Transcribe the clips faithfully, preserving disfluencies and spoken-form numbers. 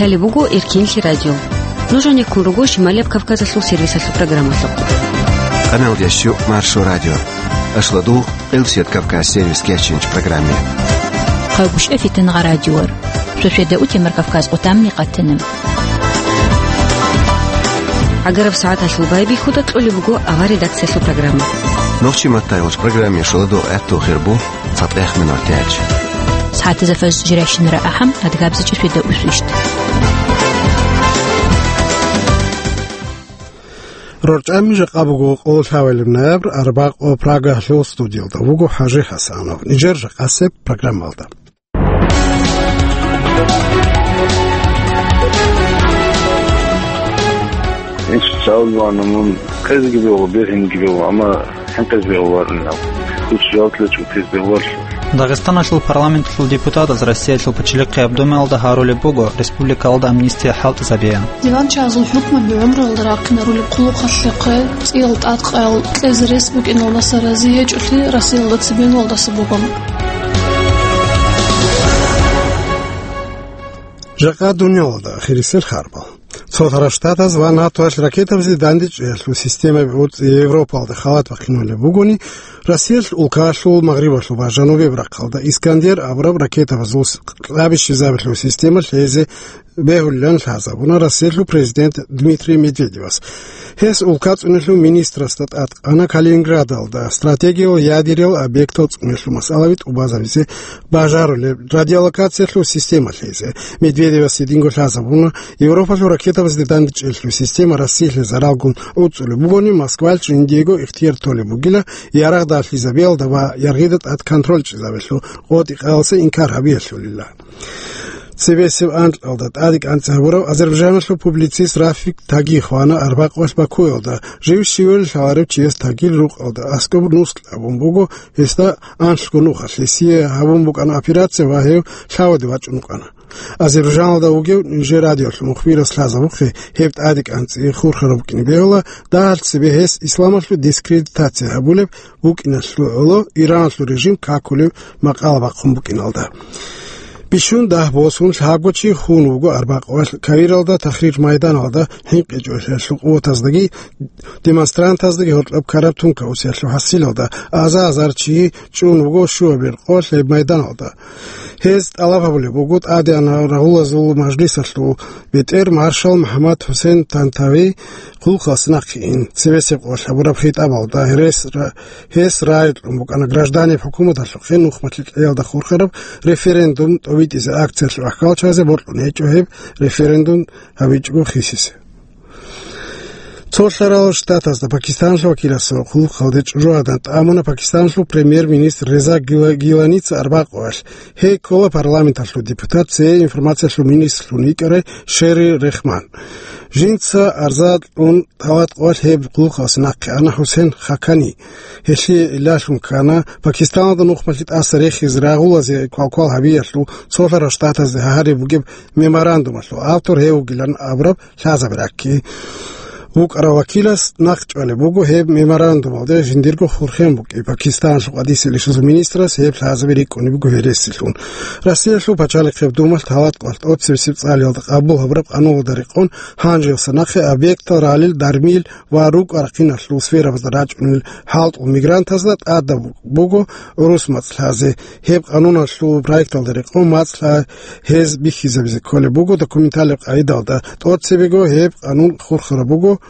Лъалеб буго Эркинлъи радио. Нуж гьанеккун руго Шималияб Кавказалъул сервисалъул программалъухъ. Къаналдящу Маршо радио. Ашладу Элсет Кавказ сервис кечинч программе. Хъавгушев Фитнагъа радиор. Шошеда утемар Кавказ къутамни къатана. Агараб сагӀаталъул байбихьуда кьолеб буго авар редакциялъул программа. Нохчи маттайгъуч программе шуладу гӀатту хирбу. ЦатӀех минутач. СагӀатазда фаз жирайщинара ахӀам, адгабзичӀеб шведа усвищт. РорчӀами жакъа буго къоло лъабабилеб ноябрь, арбакъо, Прагалъул студиялда вуго ХӀажи ХӀасанов. Нижер жакъасеб программалда. Ин социаллъуна мун къезги бегьула, бергьинги бегьула, амма хӀинкъиз бегьуларинал. Куц жаваблъи чӀутиз бегьуларлъу. Дагъистаналъул парламенталъул депутатаз Россиялъул Пачалихъияб Думаялда гьарулеб буго республикалда амнистия хӀалтӀизабиялъ. Диванчагьазул хӀукмаби гӀумруялда рахъинарулеб хъулухъалъухъе, цӀиял тӀадкъаял кьезе рес букӀиналдаса рази гьечӀолъи Россиялда цебенуялдаса буго. Жакъа дуниялалда ахирисел харбал. Цо-, Цоцара Штатаз ва НАТОялъ ракетабазе дандечӀеялъул системаби гӀуцӀи Европалда халат бахъинулеб бугони, Россиялъ улкаялъул магърибалъул ва жанубияб рахъалда Искандер абураб ракетабазул с-, кьабищизабилъул система лъезе бегьулилан лъазабуна Россиялъул президент Дмитрий Медведевас. Гьес улка цӀунелъул министрасда тӀадкъана Калининградалда стратегиял ядериял объектал цӀунелъул масъалаби тӀубазабизе бажарулеб радиолокациялъул система лъезе. Медведевас гьединго лъазабуна, Европалъул ракетабазде дандечӀелъул система Россиялъе заралгун гӀуцӀулеб бугони, Москваялъ жиндиего ихтияр толеб бугила ярагъ далъизабиялда ва яргъида тӀад контроль чӀезабиялъул къотӀи-къаялъе инкар гьабиялъулила. Цебесеб анкьалда тӀаде кӀанцӀи гьабурав азербайджаналъул публицист Рафик Таги хвана арбакъвалъ Бакуялда. Жив щивелин лъаларев чияс Тагил рукъалда аскӀоб нуск абун буго, гьесда анлъго нухалъ гьесие гьабун букӀана операция ва гьев лъаваде вачӀун вукӀана. Азербайджаналда вугев нижер радиолъул мухбирас лъазабухъе, гьеб тӀаде кӀанцӀи хурхараб букӀине бегьула, дагьал цебе гьес исламалъул дискредитация гьабулеб букӀиналъул гӀоло Ираналъул режим какулев макъала бахъун букӀиналда. Бищун дагь босун лъабго чи хун вуго арбакъвалъ Каиралда Тахрир майданалда хӀинкъичӀолъиялъул къуватаздаги демонстрантаздаги гьоркьоб ккараб тункаусиялъул хӀасилалда аза-азар чи чӀун вуго щуабилеб къо лъеб майданалда. Гьез тӀалаб гьабулеб буго тӀадегӀанав рагъулазул мажлисалъул бетӀер маршал МухӀаммад ХӀусен Тантави хъулухъалъ нахъе ин. Цебесеб къо лъабураб хитӀабалда гьерес ра-, гьес рагӀи кьун букӀана гражданиб хӀукуматалъухъе нухмалъи кьеялда хурхараб референдум тӀобитӀизе акциялъул ахӀкалчазе бокьун гьечӀо гьеб референдум гьабичӀого хисизе. Цо лъарал штатазда Пакистаналъул вакиласул хъулухъалде чӀужугӀадан тӀамуна Пакистаналъул премьер-министр Реза Гила-, Гиланица арбакъвалъ. Гьей ккола парламенталъул депутат, цее информациялъул министрлъун йикӀарай Шери Рехман. Жинца арза кьун талат къвалъ гьеб хъулухъалъ нахъе ана ХӀусен Хакани. Гьелъие илалъун ккана Пакистаналда нухмалъи тӀаса рехизе рагъулазе квалквал гьабиялъул цо лъарал штатазде гьариб бугеб меморандумалъул автор гьев вугилан абураб лъазабе ракки. ВукӀарав вакилас нахъчӀвалеб буго гьеб меморандумалда жиндирго хурхен букӀи. Пакистаналъул къвадисел ишазул министрас гьеб лъазаби рикӀкӀунеб буго гьересилъун. Россиялъул пачалихъеб думалъ талат къвалъ тӀоцебесеб цӀалиялда къабул гьабураб къануналда рекъон гьанжеялса нахъе объектал ралел дармил ва рукӀа-рахъиналъул сферабазда рачӀунел хӀалтӀул мигрантазда тӀадаб буго гӀурус мацӀ лъазе. Гьеб къануналъул проекталда рекъон мацӀ лъа гьез бихьизабизе кколеб буго документалеб къагӀидалда. ТӀоцебего гьеб къанун хурхараб буго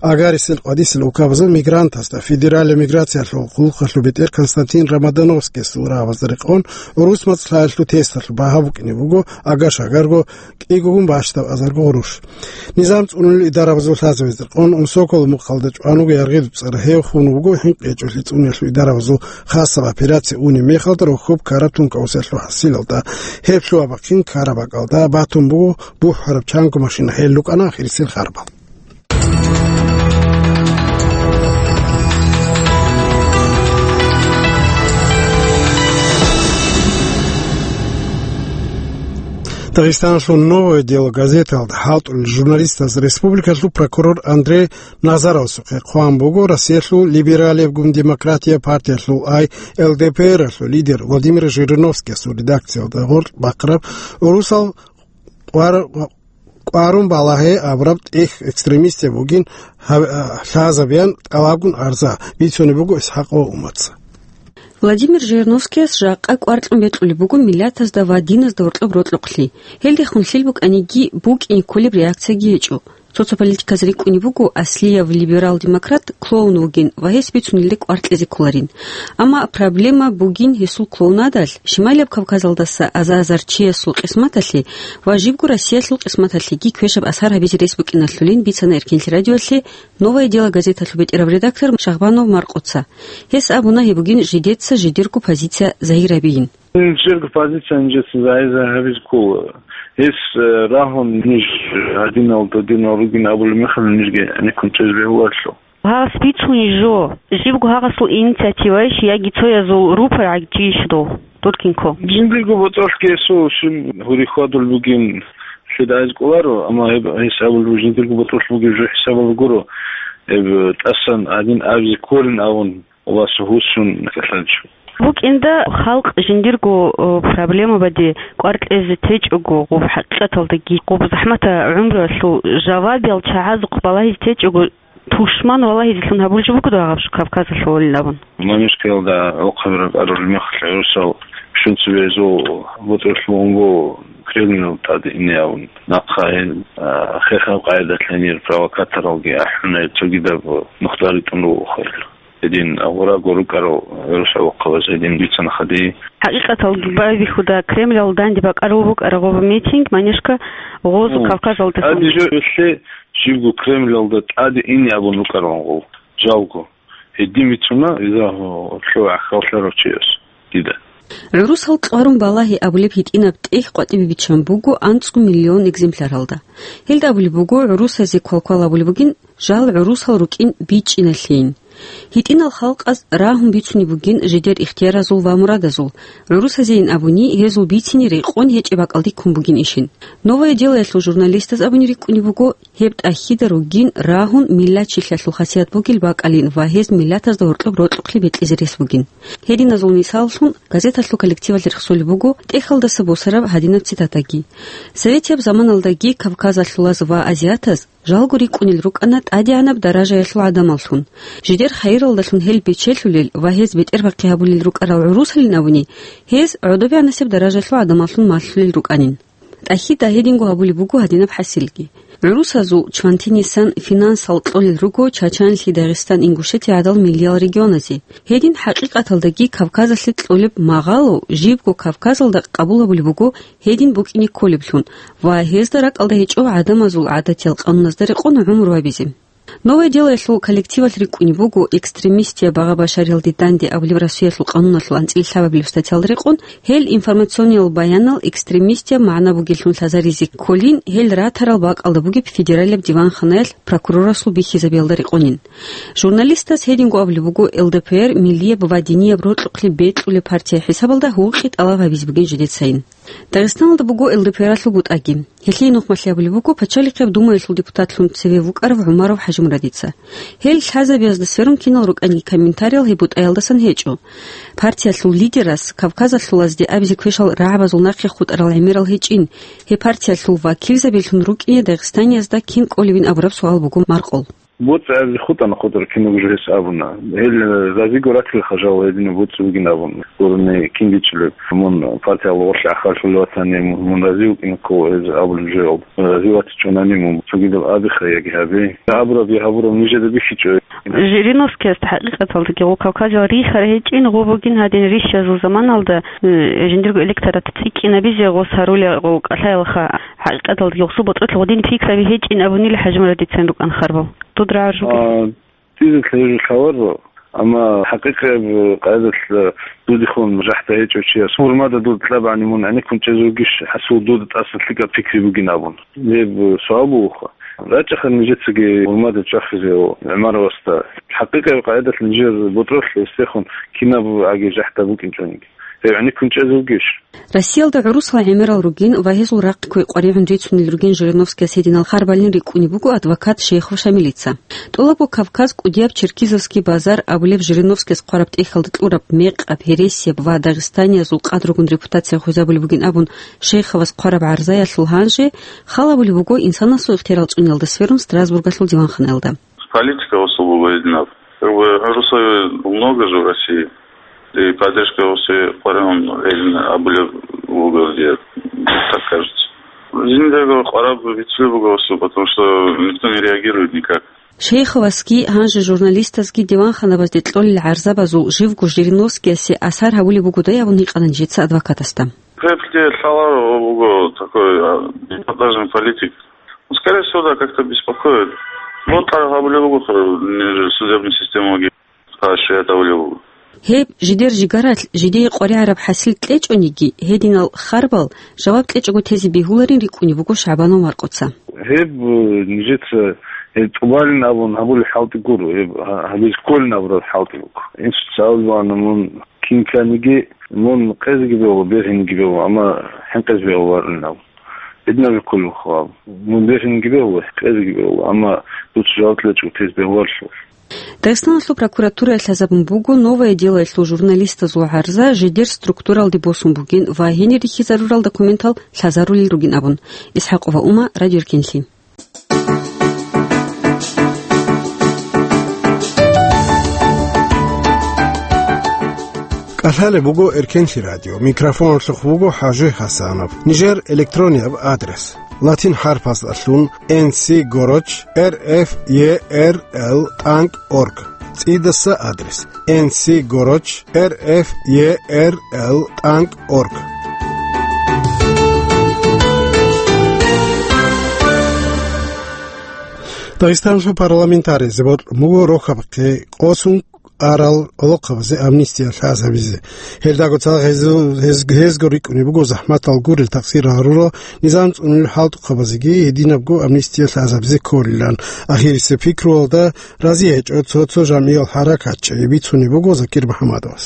агарисел къвадисел улкабазул мигрантазда. Федералияб миграциялъул хъулухъалъул бетӀер Константин Ромодановскиясул рагӀабазда рекъон гӀурус мацӀ лъаялъул тесталъул багьа букӀине буго агар-шагарго кӀигогун бащдаб азарго гъурущ. Низам цӀунулел идарабазул лъазабазда рекъон Унсоколо мухъалда чӀван вуго яргъидуб цӀар. Гьев хун вуго хӀинкъичӀолъи цӀуниялъул идарабазул хасаб операция унеб мехалда рохьоб ккараб тункаусиялъул хӀасилалда. Гьеб лъугьа-бахъин ккараб бакӀалда батун буго бухӀараб чанго машина, гьел рукӀана ахирисел харбал. Дагъистаналъул «Новое дело» газеталда хӀалтӀулел журналистаз республикалъул прокурор Андрей Назаровасухъе хъван буго Россиялъул либералияб гун демократия партиялъул, ай, Л Д П Р-алъул лидер Владимир Жириновскиясул редакциялда гъоркь бахъараб гӀурусал къвар-, кӀварун балагье абураб тӀехь экстремистаб бугин гьаб-, а, лъазабеян тӀалабгун арза бицунеб буго ИсхӀакъ ва Умаца. Владимир Жириновскияс жакъа кӀвар кьун бекьулеб буго миллатазда ва диназда гьоркьоб рокьукълъи. Гьелдехун лъил букӀаниги, букӀине кколеб реакцияги гьечӀо. Цо-цо политиказе рикӀкӀунеб буго аслияб либерал-демократ клоун вугин ва гьес бицунелде кӀвар кьезе кколарин. Амма проблема бугин гьесул клоунадалъ, Шималияб Кавказалдаса аза-азар чиясул къисматалъе ва жибго Россиялъул къисматалъеги квешаб асар гьабизе рес букӀиналъулин бицана Эркенлъи радиоялъе «Новое дело» газеталъул бетӀераб редактор Шагьбанов Маркъоца. Гьес абуна гьеб бугин жидеца жидерго позиция загьирабиин. Нижерго позиция нижеца загьир-загьир гьабизе ккола. Гьес, э, рагьун ниж гьадинал-додинал ругин абулеб мехалъ нижги гӀенеккун чӀезе бегьуларелъул. Гьас бицунищ жо, жибго гьагъасул инициативайищ яги цоязул рупор гӀагчийищ дов, Туркинко? Жиндирго ботӀролъги гьесул щиб гьури хьвадулеб бугин лъидайзе кӀоларо, амма гьеб гьес абулеб жиндирго ботӀролъ бугеб жо хӀисабалда гуро, гьеб тӀасан гьадин абизе кколин абун. Ва сугьуссун кьалъанчӀо. БукӀинда халкъ жиндирго, о, проблемабаде кӀвар кьезе течӀого, гъоб хӀакъикъаталдаги гъоб захӀматаб гӀумруялъул жавабиял чагӀазухъ балагьизе течӀого, тушман валагьизелъун гьабулеб жо буго дагьаб Кавказалъулин абун. Манишкаялда гӀолохъаби ракӀарулеб мехалъ гӀурусал щунцибе гьезул ботӀролъ буго Кремльал тӀаде ине абун, нахъа гьел, а, хехаб къайдалъ гьенир провокаторалги ахӀунел цогидаб нухда ритӀун руго хъел. Гьедин гъураго рукӀарал гӀурус гӀолохъабаз гьедин бицана хадий. ХӀакъикъаталги байбихьуда, Кремльал данде бакӀарулеб букӀараб гъоб митинг, манишка, гъозу Кавказалдасан. Гьадин жо гьелъе жибго Кремльалда тӀаде ине абун рукӀаралан гъов, жалго. Гьедин бицуна, иза лъо гӀахьаллъарав чияс дида. ГӀурусал кьварун балагьи абулеб гьитӀинаб тӀехь къватӀибе биччан буго анцӀго миллион экземпляралда. Гьелда абулеб буго, гӀурусазе квалквал абулеб бугин, жал гӀурусал рукӀин бичӀчӀиналъейин. ГьитӀинал халкъаз рагьун бицунеб бугин жидер ихтияразул ва мурадазул, гӀурусазейин абуни, гьезул бицине рекъон гьечӀеб бакӀалде ккун бугин ишин. «Новое дело»ялъул журналистаз абуни рикӀкӀунеб буго, гьеб тӀахьида ругин рагьун миллатчилъиялъул хасият бугел бакӀалин ва гьез миллатазда гьоркьоб рокьукълъи бекьизе рес бугин. Гьединазул мисаллъун газеталъул коллективалъ рехсолеб буго тӀехьалдаса босараб гьадинаб цитатаги. Советияб заманалдаги кавказалъулаз ва азиатаз жалго рикӀкӀунел рукӀана тӀадегӀанаб даражаялъул гӀадамаллъун. Жидер хайиралдалъун гьел бечелъулел ва гьез бетӀербахъи гьабулел рукӀарал гӀурусалин абуни, гьез гӀодобегӀанасеб даражаялъул гӀадамаллъун малъулел рукӀанин. ТӀахьида гьединго гьабулеб буго гьадинаб хӀасилги. ГӀурусазул чвантинисан финансал кьолел руго Чачанлъи, Дагъистан, Ингушетия гӀадал миллиял регионазе. Гьедин хӀакъикъаталдаги Кавказалъе кьолеб магъало жибго Кавказалда къабул гьабулеб буго гьедин букӀине кколеблъун ва гьезда ракӀалда гьечӀо гӀадамазул гӀадатиял къануназда рекъон гӀумру гьабизе. «Новое дело»ялъул коллективалъ рикӀкӀунеб буго экстремистияб багъа-башариялде данде абулеб Россиялъул къануналъул анцӀила лъабабилеб статьялда рекъон, гьел информациониял баянал экстремистияб магӀна бугеллъун лъазаризе кколин, гьел ратарал бакӀалда бугеб федералияб диванханаялъ прокурорасул бихьизабиялда рекъонин. Журналистас гьединго абулеб буго, Л Д П Р миллияб ва динияб рокьукълъи бекьулеб партия хӀисабалда гьукъи тӀалаб гьабизе бугин жидецайин. Дагъистаналда буго Л Д П Р-алъул бутӀаги. Гьелъие нухмалъи абулеб буго Пачалихъияб Думаялъул депутатлъун цеве вукӀарав ГӀумаров ХӀажимурадица. Гьел лъазабиязда сверун кинал рукӀанги комментариял гьеб бутӀаялдасан гьечӀо. Партиялъул лидерас кавказалъулазде абизе квешал рагӀабазул нахъе хутӀарал гӀемерал гьечӀин, гьеб партиялъул вакилзабилъун рукӀине дагъистаниязда кин кӀолебин абураб суал буго маркъул. БоцӀи абизе хутӀана хутӀараб кинабго жо гьес абуна. Гьел разиго ратилаха жал гьединаб боцӀи бугин абун. Гурони кин бичӀчӀулеб. Мун партиялда гъорлъ ахарлъулев ватани, мун, мун рази вукӀине ккола гьез абулеб жоялда. Рази ватичӀонани мун цогидаб абиха яги гьабе. Абураб я гьабураб нижеда бихьичӀо. Жириновскиясда хӀакъикъаталдаги гъо Кавказал рихьарай гьечӀин, гъо бугин гьадин рихьизул заманалда, э, жиндирго электорат цӀикӀкӀинабизе гъос гьарулел гъо кӀалъаялха. ХӀакъикъаталдаги гъосул ботӀролъи гъодин пикраби гьечӀин абунила ХӀажимурадицан рукӀан харбал. Дуд рагӀаржуги. А, дица лъезе лъаларо, амма хӀакъикъияб къайдалъ дудехун жахӀда гьечӀев чияс гьурмада дуда кьабани мун гӀенеккун чӀезе вугищ, гьасул дуда тӀаса лъикӀаб пикри бугин абун. Гьеб суал бугоха. РачӀаха нижецаги гьурмада чӀвахизе ГӀумаровасда. ХӀакъикъияб къайдалъ нижер ботӀролъ гьесдехун кинаб аги жахӀда букӀинчӀониги. Гьев гӀенеккун чӀезе вугищ? Россиялда гӀурусал гӀемерал ругин ва гьезул рахъ кквей къваригӀун рицунел ругин Жириновскияс гьединал харбалин рикӀкӀунеб буго адвокат Шейхов Шамилица. ТӀолабго Кавказ, кӀудияб Черкизовский базар абулеб Жириновскияс хъвараб тӀехьалда кьураб мекъаб, гьересияб ва дагъистаниязул къадру ругун репутация хвезабулеб бугин абун Шейховас хъвараб гӀарзаялъул гьанже хал гьабулеб буго инсанасул ихтиярал цӀуниялда сверун Страсбургалъул диванханаялда. Политика гьесул буго гьединаб. Как бы, гӀурусаби много же в России. И поддержка гьесул къваригӀун гьедин абулеб буго, мне так кажется. Жиндего къвараб бицунеб буго гьесул, потому что никто не реагирует никак. Шейховасги гьанже журналистазги диванханабазде кьолел гӀарзабазул живго Жириновскиясе асар гьабулеб бугодай абун гьикъана нижеца адвокатасда. Гьеб лъаларо буго такой, а, эпатажный политик. Ну, скорее всего, да, как-то беспокоит. Бокьараб гьабулеб буго, нижер судебный системаги поощрять гьабулеб буго. Гьеб жидер жигаралъ жидее къваригӀараб хӀасил кьечӀониги, гьединал харбал жаваб кьечӀого тезе бегьуларин рикӀкӀунеб буго ШагӀбанов Маркъоца. Гьеб, э, нижеца, э, тӀубалин абун гьабулеб хӀалтӀи гуро, гьеб гьа-, гьабизе кколин абураб хӀалтӀи буго. Инсуца абулеб бугони мун кин кканиги, мун къезеги бегьула, бергьинеги бегьула, амма хӀинкъизе бегьуларин абун. Гьединаб кколеб буго абун. Мун бергьинеги бегьула, къезеги бегьула, амма дуца жаваб кьечӀого тезе бегьуларелъул. Дагъистаналъул прокуратурае лъазабун буго «Новое дело»ялъул журналистазул гӀарза жидер структуралде босун бугин ва гьенир рихьизарурал документал лъазарулел ругин абун. ИсхӀакъова Ума, Радио Эркенлъи. КӀалъалеб буго Эркенлъи радио. Микрофоналъухъ вуго ХӀажи ХӀасанов. Нижер электронияб адрес: латин хӀарпасдалъун N C горочь R F E R L тӀанкӀ орг. ЦӀидаса адрес: N C горочь R F E R L тӀанкӀ орг. Дагъистаналъул парламентариязе бокьун буго рохьаб къосун арал гӀолохъабазе амнистия лъазабизе. Гьелдаго цадахъ гьез-, гьез-, гьезго рикӀкӀунеб буго захӀматал гурел, такъсир гьарурал, низам цӀунулел хӀалтӀухъабазеги гьединабго амнистия лъазабизе кколилан. Ахирисеб пикруялда разие гьечӀо цо-цо жамгӀиял хӀаракатчи, бицунеб буго Закир МухӀамадовас.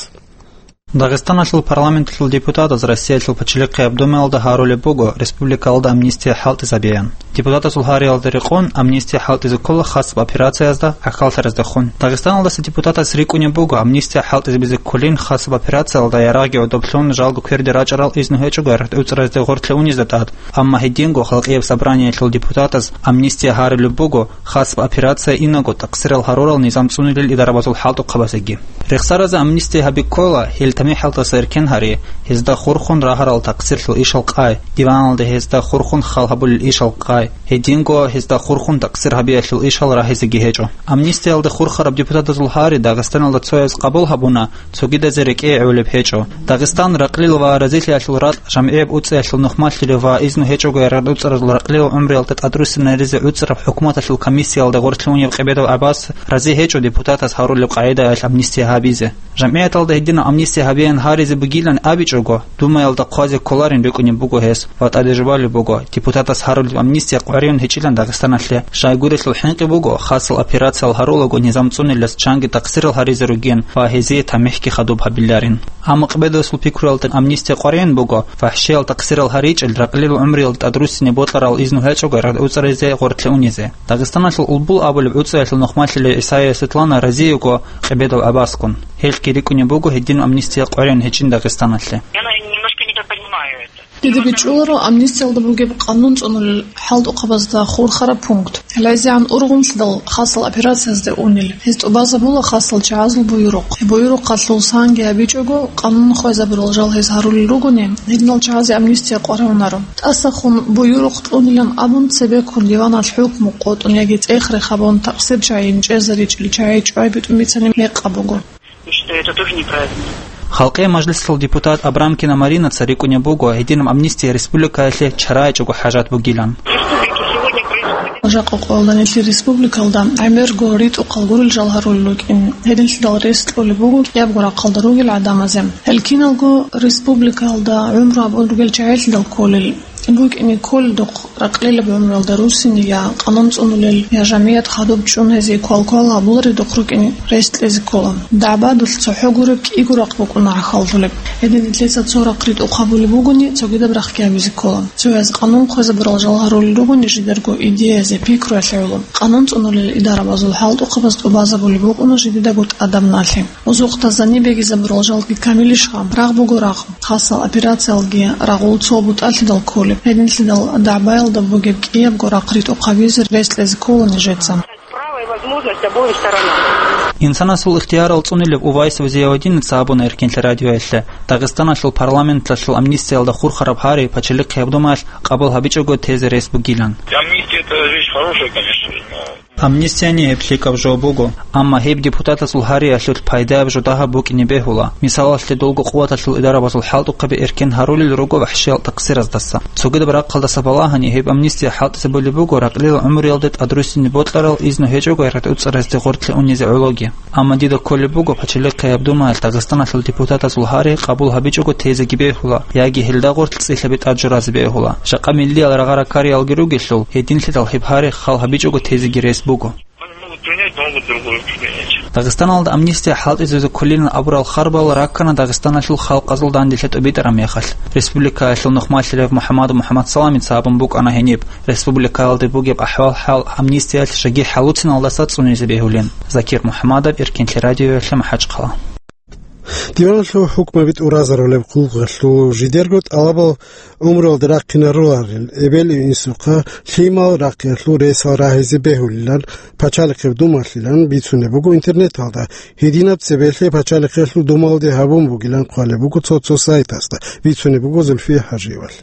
Дагъистаналъул парламенталъул депутатаз Россиялъул Пачалихъияб Думаялда гьарулеб буго республикаялда амнистия хӀалтӀизабеян. Депутатазул гьариялда рекъон амнистия хӀалтӀизе ккола хасаб операциязда гӀахьаллъараздехун. Дагъистаналдаса депутатас рикӀкӀунеб буго амнистия хӀалтӀизабизе кколин хасаб операциялда ярагъги гӀодоблъун жалго кверде рачӀарал изну гьечӀого рагӀуцӀаразде гъорлъе унезда тӀад, амма гьединго Халкъияб собраниялъул депутатаз амнистия гьарулеб буго хасаб операция инаго такъсирал гьарурал низам цӀунилел идарабазул хӀалтӀухъабазеги. Рехсаразе амнистия гьаби ккола, гьел тамихӀалдаса эркен гьари, гьезда хурхун рагьарал такъсирлъул ишал къай, диваналда гьезда хурхун хал гьабулел ишал къай, гьединго гьезда хурхун такъсир гьабиялъул ишал рагьизеги гьечӀо. Амнистиялда хурхараб депутатазул гьари Дагъистаналда цояз къабул гьабуна, цогидазе рекӀее гӀолеб гьечӀо. Дагъистан ракълил ва разилъиялъул ракь, жамгӀияб уцӀиялъул нухмалъилев ва изну гьечӀого рагӀуцӀаразул ракълил гӀумруялда тӀадруссинаризе гӀуцӀараб хӀукуматалъул комиссиялда гъорлъе унев Къебедов ГӀаббас рази гьечӀо депутатас гьарулеб къагӀидаялъ амнистия гьабизе. ЖамгӀияталда гьединаб амнистия гьабеян гьаризе бугилан абичӀого, Думаялда хъвазе кколарин рикӀкӀунеб буго гьес ва тӀаде жубалеб буго, депутатас гьарулеб амнистия къваригӀун гьечӀилан Дагъистаналъе. Щайгурелъул хӀинкъи буго, хасал операциял гьарулаго низам цӀунилас чанги такъсирал гьаризе ругин ва гьезие тамихӀги хадуб гьабиларин. Амма Къебедовасул пикруялда амнистия къваригӀун буго, фахӀшиял такъсирал гьаричӀел, ракълил гӀумруялда тӀадруссине бокьарал изну гьечӀого рагӀуцӀаризе гъорлъе унизе. Дагъистаналъул Улбул абулеб уцӀиялъул нухмалъилев ГӀисаева Светлана рази йиго Къебедов ГӀаббаскун. Гьелъги рикӀкӀунеб буго гьедин амнистия къваригӀун гьечӀин Дагъистаналъе. Я, наверное, немножко недопонимаю это. Дида бичӀчӀуларо амнистиялда бугеб къанун цӀунулел хӀалтӀухъабазда хурхараб пункт. ГӀалайзегӀан ургъунлъидал хасал операциязде унел. Гьез тӀубазабула хасал чагӀазул буюрухъ. Гьеб буюрухъалъул санги гьабичӀого, къанун хвезабурал жал гьез гьарулел ругони, гьединал чагӀазе амнистия къваригӀунаро. ТӀасахун буюрухъ тӀунилан абун, цебеккун диваналъ хӀукму къотӀун яги цӀех-рех гьабун, такъсир чагӀи чӀезаричӀел чагӀи чӀвай битӀун бицани мекъаб буго. Считаю, это тоже неправильно. Халкъиял мажлисалъул депутат Абрамкина Маринаца рикӀкӀунеб буго гьединаб амнистия республикаялъе чарайчӀого хӀажат бугилан. Жакъа къоялда нилъер республикалда гӀемерго ритӀухъал гурел жал гьарулел рукӀин. Гьединлъидал рес кьолеб буго кӀиябго рахъалда ругел гӀадамазе. Гьел киналго республикалда гӀумру гьабун ругел чагӀилъидал кколел. БукӀине кколедухъ ракълилаб гӀумруялда руссине я къанун цӀунулел, я жамият хадуб чӀун гьезие квал-квал гьабуларедухъ рукӀине рес кьезе ккола. ДагӀбадулъ цохӀо гуреб кӀиго рахъ букӀуна гӀахьаллъулеб. Гьедин нилъеца цо рахъ ритӀухъ гьабулеб бугони, цогидаб рахъги гьабизе ккола. Цояз къанун хъвезабурал жал гьарулел ругони жидерго идеязе, пикруялъе гӀоло. Къанун цӀунулел идарабазул хӀалтӀухъабаз тӀубазабулеб букӀуна жидедаго тӀадаб налъи. Озокъда, зани бегизабурал жалги камилищха? Рагъ буго рагъ. Хасал операциялги рагъул цо бутӀалъидал кколеб. Гьединлъидал дагӀбаялда бугеб кӀиябго рахъ ритӀухъ гьабизе рес кьезе ккола нижеца. Право и возможность обоим сторонам. Инсанасул ихтиярал цӀунилев Увайсов Зиявадиница абуна Эркенлъи радиоялъе, Дагъистаналъул парламенталъул амнистиялда хурхараб гьари Пачалихъияб Думаялъ къабул гьабичӀого тезе рес бугилан. Амнистия — это вещь хорошая, конечно, но Амнистияни гьеб лъикӀаб жо буго, амма гьеб депутатасул гьариялъулъ пайдаяб жо дагьаб букӀине бегьула. Мисалалъе, долго къуваталъул идарабазул хӀалтӀухъаби эркен гьарулел руго вахӀшиял такъсираздаса. Цогидаб рахъалдаса балагьани, гьеб амнистия хӀалтӀизабулеб буго ракълил гӀумруялде тӀадруссине бокьарал изну гьечӀого ретӀуцӀаразде гъорлъе унезе гӀологи. Амма дида кколеб буго Пачалихъияб Думаялъ Дагъистаналъул депутатазул гьари къабул гьабичӀого тезеги бегьула, яги гьелда гъорлъ цӀилъаби тӀад журазе бегьула. Жакъа миллиял рагъа-ракариялги ругелъул, гьединлъидал гьеб гьари хал гьабичӀого тезеги рес буго. Они могут принять, могут другую принять. Дагъистаналда амнистия хӀалтӀизазе кколилан абурал харбал раккана Дагъистаналъул халкъазул данделъи тӀубитӀараб мехалъ. Республикаялъул нухмалъарав МухӀаммад МухӀаммадсаламица абун букӀана гьениб, республикаялда бугеб ахӀвал-хӀал амнистиялъ жеги хӀалуциналдаса цӀунизе бегьулин. Закир МухӀаммадов, Эркенлъи радиоялъе, МахӀачхъала. Диваналъул хӀукмаби тӀуразарулеб хъулухъалъул жидерго тӀалабал гӀумруялда рахъинаруларел эбел-инсухъа лъимал рахъиялъул ресал рагьизе бегьулилан Пачалихъияб Думалъилан бицунеб буго интернеталда. Гьединаб цебелъе Пачалихъиялъул Думалде гьабун бугилан хъвалеб буго цо-цо сайтасда, бицунеб буго Зульфия ХӀажиевалъ.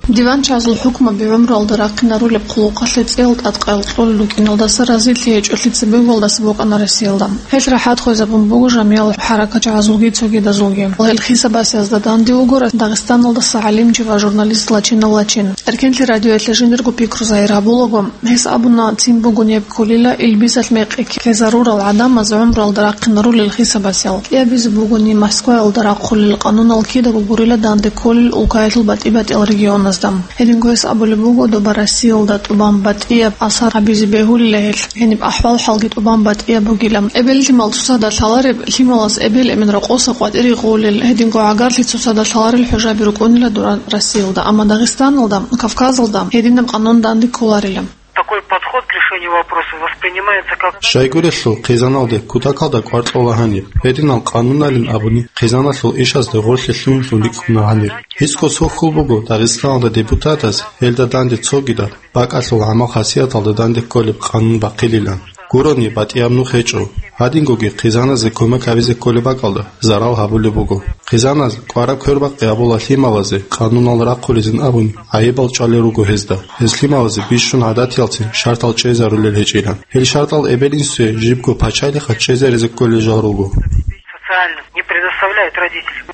Диванчагьазул хӀукмаби гӀумруялда рахъинарулеб хъулухъалъе цӀиял тӀадкъаял кьолел рукӀиналдаса разилъи гьечӀолъи цебегьуялдаса букӀана Россиялда. Гьелъ рахӀат хвезабун буго жамиял хӀаракатчагьазулги цогидазулги. Гьел хисабасезда данде вуго Дагъистаналдаса гӀалимчи ва журналист Лачинов Лачин. Эркенлъи радиоялъе жиндирго пикру загьир гьабулаго, гьес абуна, цин бугонеб кколила илбисалъ мекъи ккезарурал гӀадамаз гӀумруялда рахъинарулел хисабасел. КӀиабизе бугони, Москваялда рахъулел къанунал кидаго гурила данде кколел улкаялъул батӀи-батӀиял регионазда. Гьединго гьес абулеб буго, доба Россиялда тӀубан батӀияб асар гьабизе бегьулила гьелъ, гьениб ахӀвал-хӀалги тӀубан батӀияб бугила. Эбел-лъимал цоцазда лъалареб, лъималаз эбел-эмен рокъоса къватӀире гъолел, гьединго гӀагарлъи цоцазда лъаларел хӀужаби рукӀунила дура Россиялда, амма Дагъистаналда, Кавказалда гьединаб къанун данде кколарила. Такой подход к решению вопроса воспринимается как... Щайгурелъул хъизаналде кутакалда кӀвар кьола гьаниб. Гьединал къануналин абуни, хъизаналъул ишазда гъорлъе лъугьинлъун рикӀкӀуна гьанир. Гьесго цо хьул буго Дагъистаналда депутатаз, гьелда данде цогидал, бакӀалъул гӀамал-хасияталда данде кколеб къанун бахъилилан. Гурони, батӀияб нух гьечӀо. Гьадингоги хъизаназе кумек гьабизе кколеб бакӀалда зарал гьабулеб буго. Хъизаназ кӀвараб квербакъи гьабула лъималазе къанунал рахъулезин абун гӀайибал чӀвалел руго гьезда. Гьез лъималазе бищун гӀадатиялцин шартал чӀезарулел гьечӀилан. Гьел шартал эбел-инсуе жибго пачалихъа чӀезаризе кколел жал руго. Социальных не предоставляют родителям.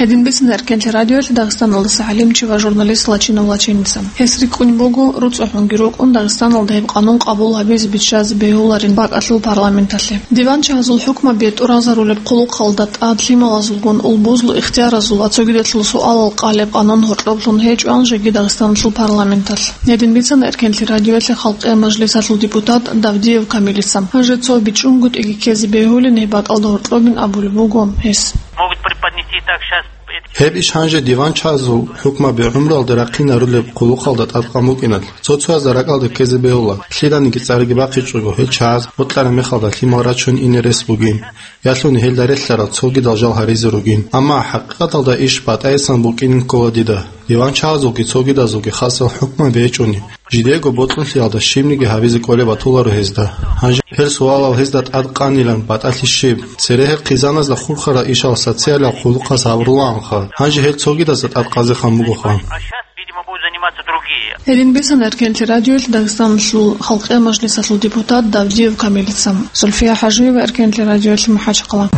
Гьедин бицана Эркенлъи радиоялъ Дагъистаналдаса гӀалимчи ва журналист Лачинов Лачиница. Гьес рикӀкӀун буго, руцӀцӀухӀунги рукӀун, Дагъистаналда гьеб къанун къабул гьабизе биччазе бегьуларин бакӀалъул парламенталъе. Диванчагьазул хӀукмаби тӀуразарулеб хъулухъалда тӀад лъималазулгун улбузул ихтияразул ва цогидалъул суалал къалеб къанун гьоркьоблъун гьечӀоан жеги Дагъистаналъул парламенталъ. Гьедин бицана Эркенлъи радиоялъе Халкъиял мажлисалъул депутат Давдиев Камилица. Гьанже цо бичӀчӀунгутӀиги ккезе бегьулин гьеб бакӀалда гьоркьобин абулеб буго гьес. Могут преподнести так сейчас эти... Гьеб иш гьанже диванчагьазул хӀукмаби гӀумруялда рахъинарулеб хъулухъалда тӀадкъан букӀиналъ, цо-цоязда ракӀалде ккезе бегьула, лъиланиги цӀараги бахъичӀого, гьел чагӀаз бокьараб мехалда лъимал рачун ине рес бугин, ялъуни гьелда релълъарал цогидал жал гьаризе ругин. Амма хӀакъикъаталда иш батӀайсан букӀинин ккола дида. Диванчагьазулги цогидазулги хасал хӀукмаби гьечӀони, жидего бокьулъиялда щибниги гьабизе кӀолеб батуларо гьезда. Гьанже гьел суалал гьезда тӀад къанилан батӀалъи щиб? Церегьел хъизаназда хурхарал ишал социалал хъулухъаз гьабурулаанха, гьанже гьел цогидазда тӀад къазехъан бугоха. А щас, видимо, будут заниматься другие. Гьедин бицана Эркенлъи радиоялъ Дагъистаналъул Халкъиял мажлисалъул депутат Давдиев Камилица. Зульфия ХӀажиева, Эркенлъи радиоялъ, МахӀачхъала.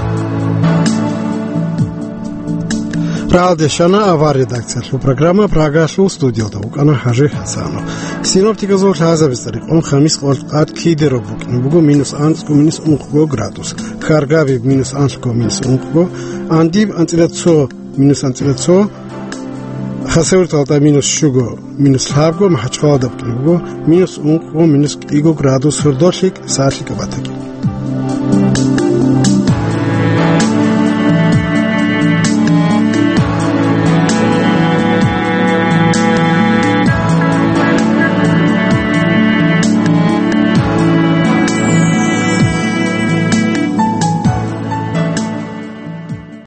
Рагьалде щвана авар редакциялъул программа, Прагалъул студиялда вукӀана ХӀажи ХӀасанов. Синоптиказул лъазабица рекъон, хамис къоялъ къад киде роб букӀине буго минус анцӀго, минус ункъго градус, Хьаргабиб минус анлъго, минус ункъго, Андиб анцӀила цо, минус анцӀила цо, Хасавюрталда минус щуго, минус лъабго, МахӀачхъаладаб кьун буго минус ункъго, минус кӀиго градус, гьордолъи сагӀат лъикӀаб батаги.